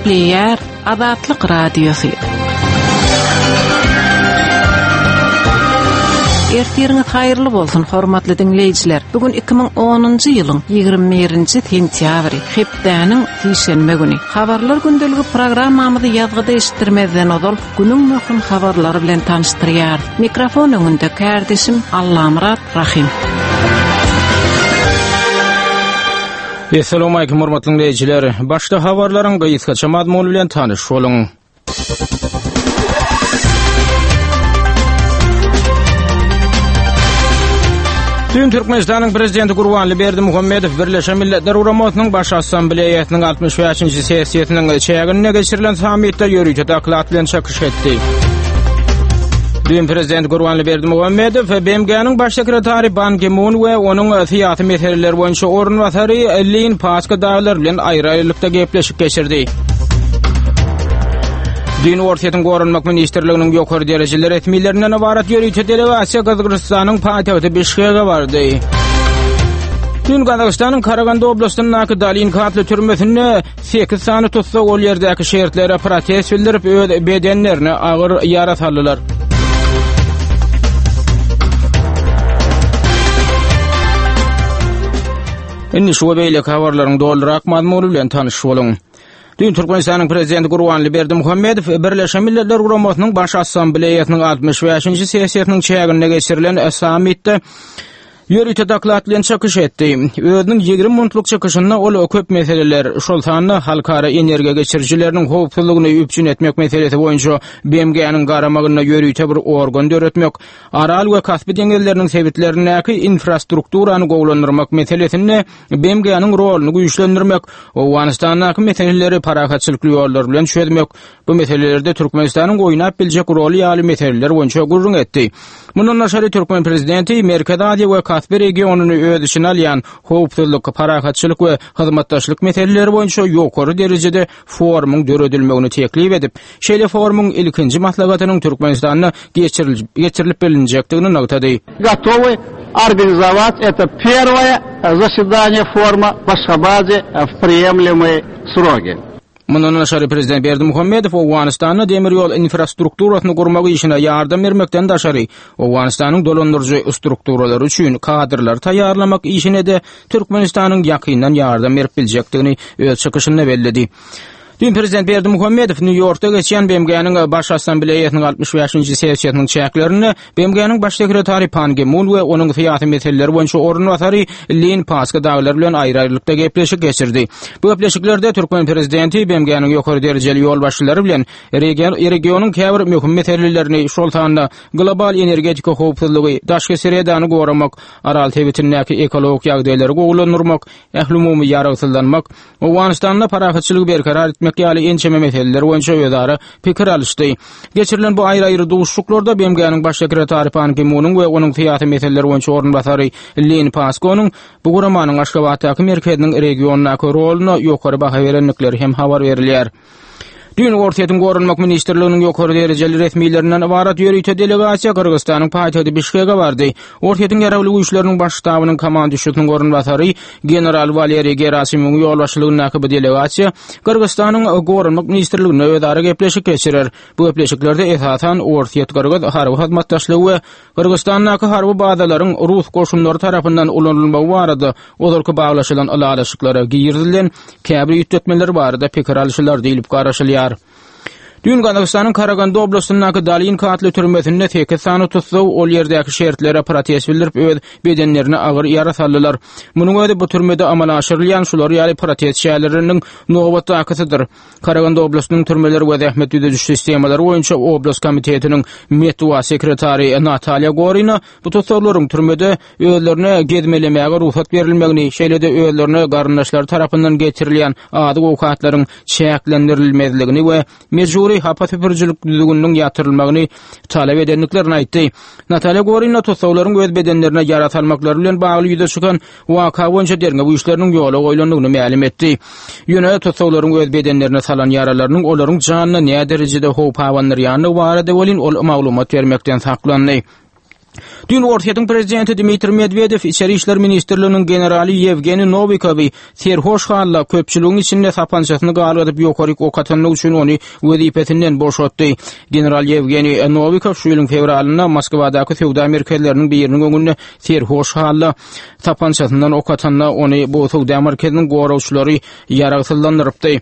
Gepleýär Azatlyk Radiosy. Ertiriňiz haýyrly bolsun, hormatly diňleýjiler. Bu gün 2010-njy ýylyň 21-nji sentýabry, hepdäniň sişenbe güni. Habarlar gündeligi programmamyzy ýazgyda eşitdirmezden ozal, günüň möhüm habarlary bilen tanyşdyrýarys. Mikrofon öňünde kärdeşim Allamyrat Rahym. Essalawmalikim hormatly diňleýjiler. Başda habarlaryň gysgaça mazmuny bilen tanyş boluň. Dün Türkmenistanyň Prezidenti Gurbanly Berdimuhamedow Birleşen Milletler Guramasynyň Baş Assambleýasynyň 65-nji sessiýasynyň çäginde geçirilen sammitde ýörite doklad bilen çykyş etdi. Dün Prezident Gurbanly Berdimuhamedow BMG-niň Baş sekretary Ban Ki-mun we onuň syýasy meseleler boýunça orunbasary Lin Paska dagylar bilen aýry-aýrylykda gepleşik geçirdi. Düýn Orsýetiň Goranmak ministrliginiň ýokary derejeli resmilerinden ybarat ýörite delegasiýa Gyrgyzystanyň paýtagty Bişkege bardy. Düýn Gazagystanyň Karaganda oblastyndaky Dalinka atly türmesinde 8 sany tussag ol ýerdäki şertlere protest bildirip, öz bedenlerine agyr ýara saldylar. Indi şu we beýleki habarlaryň dolurak mazmuny bilen tanyş boluň. Düýn Türkmenistanyň Prezidenti Gurbanguly Berdimuhamedow Birleşen Milletler Guramasynyň Baş Assambleýasynyň 65-nji sessiýasynyň çäginde geçirilen sammitde ýörite doklad bilen çykyş etdi. Özüniň 20 minutlyk çykyşynda ol köp meseleler, şol sanda halkara energiýa geçirijileriniň howpsuzlygyny üpjün etmek meselesi boýunça BMG-niň garamagynda ýörite bir organ döretmek, Aral we Kaspi deňizleriniň sebitlerindäki infrastrukturany gowulandyrmak meselesinde BMG-niň roluny güýçlendirmek, Owganystandaky meseleleri parahatçylykly ýollar bilen çözmek, bu meselelerde Türkmenistanyň oýnap biljek roly ýaly meseleler boýunça gürrüň etdi. Mundan daşary türkmen prezidenti Merkezi Aziýa we Kaspi regionyny öz içine alýan howpsuzlyk, parahatçylyk we hyzmatdaşlyk meseleleri boýunça ýokary derejede forumyň döredilmegini teklip edip, şeýle forumyň ilkinji maslahatynyň Türkmenistanda geçirilip bilinjekdigini nygtady. Gotowy organizować eto perwoe zasedanie foruma w Aşgabadzie w priýemlemyý srogi. Mundan daşary prezident Berdimuhamedow Owganystanda demir ýol infrastrukturasyny gurmak işine ýardam bermekden daşary, Owganystanyň dolandyryjy strukturalary üçin kadrlary taýýarlamak işine-de Türkmenistanyň ýakyndan ýardam berip biljekdigini öz çykyşynda belledi. Düýn prezident Berdimuhamedow Nýu-Ýorkda geçýän BMG-niň Baş Assambleýasynyň 65-nji sessiýasynyň çäklerinde BMG-niň Baş sekretary Pan Gi Mun we onuň syýasy meseleler boýunça orunbasary Lin Paska dagylar bilen aýry-aýrylykda gepleşik geçirdi. Bu gepleşiklerde türkmen prezidenti BMG-niň ýokary derejeli ýolbaşçylary bilen regionyň käbir möhüm meselelerini, şol sanda global energetika howpsuzlygy, daşky sredany goramak, Aral sebitindäki ekologik ýagdaýlary gowulandyrmak, ählumumy ýaragsyzlanmak, Owganystanda parahatçylygy berkarar etmek ýaly ençeme meseleler boýunça özara pikir alyşdy. Geçirilen bu aýry-aýry duşuşyklarda BMG-niň Baş sekretary Pan Gi Munuň we onuň syýasy meseleler boýunça orunbasary Lin Paskonyň bu guramanyň Aşgabatdaky merkeziniň regiondaky roluna ýokary baha berendikleri hem habar berilýär. Düýn Orsýetiň Goranmak ministrliginiň ýokary derejeli resmilerinden ybarat ýörite delegasiýa Gyrgyzystanyň paýtagty Bişkege bardy. Orsýetiň Ýaragly Güýçleriniň Baş ştabynyň komanduşysynyň orunbasary general Waleriý Gerasimowyň ýolbaşçylygyndaky bu delegasiýa Gyrgyzystanyň Goranmak ministrliginde özara gepleşik geçirer. Bu gepleşiklerde esasan Orsýet-Gyrgyz harby hyzmatdaşlygy we Gyrgyzystandaky harby bazalaryň rus goşunlary tarapyndan ulanylmagy barada ozalky baglaşylan ylalaşyklara girizilen käbir üýtgetmeler barada pikir alşylar diýlip garaşylýar. Düýn Gazagystanyň Karaganda oblastyndaky Dalinka atly türmesinde sekiz sany tussag ol ýerdäki şertlere protest bildirip öz bedenlerine agyr ýara saldylar. Munuň özi bu türmede amala aşyrylýan şular ýaly protest çäreleriniň nobatdakysydyr. Karaganda oblastynyň türmeler we zähmet düzediş sistemalary boýunça oblast komitetiniň metbugat sekretary Natalýa Gorina bu tussaglaryň türmede özlerine gezmelemäge rugsat berilmegini, şeýle-de özlerine garyndaşlary tarapyndan getirilýän azyk-owkatlaryň çäklendirilmezligini we mejbury hapa süpürijilik düzgüniniň ýatyrylmagyny talap edendiklerini aýtdy. Natalýa Gorina tussaglaryň öz bedenlerine ýara salmaklary bilen bagly ýüze çykan waka boýunça derňew işleriniň ýola goýlandygyny mälim etdi. Ýöne tussaglaryň öz bedenlerine salan ýaralarynyň olaryň janyna näderejede howp abandyrýandygy barada welin ol maglumat bermekden saklandy. Düýn Orsýetiň prezidenti Dmitriý Medwedew Içeri işler ministrliginiň generaly Ýewgeniý Nowikowy serhoş halda köpçüligiň içinde sapançasyny galgadyp ýokaryk ok atanlygy üçin ony wezipesinden boşatdy. General Ýewgeniý Nowikow şu ýylyň fewralynda Moskwadaky söwda merkezleriniň biriniň öňünde serhoş halda sapançasyndan ok atanda ony bu söwda merkeziniň goragçylary ýaragsyzlandyrypdy.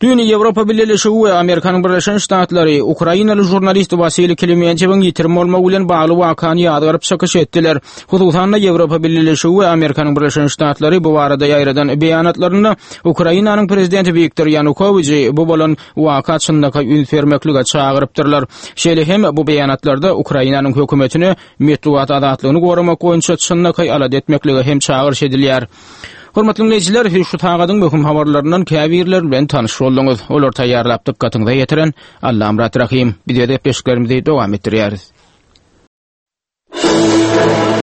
Düýn Ýewropa Bileleşigi we Amerikanyň Birleşen Ştatlary ukrainaly žurnalist Wasiliý Klimentýewiň ýitirim bolmagy bilen bagly wakany ýazgaryp çykyş etdiler. Hususan-da, Ýewropa Bileleşigi we Amerikanyň Birleşen Ştatlary bu barada ýaýradan beýanatlarynda Ukrainanyň prezidenti Wiktor Ýanukowiçi bu bolan waka çynlakaý üns bermeklige çagyrypdyrlar. Şeýle hem bu beýanatlarda Ukrainanyň hökümetine metbugat azatlygyny goramak boýunça çynlakaý alada etmeklige hem çagyryş edilýär. Hormatly diňleýjiler, siz şu sagadyň möhüm habarlaryndan käbirleri bilen tanyş bolduňyz. Olary taýýarlap dykgatyňyza ýetiren Allamyrat Rahym. Biz öz gepleşiklerimizi dowam etdirýäris.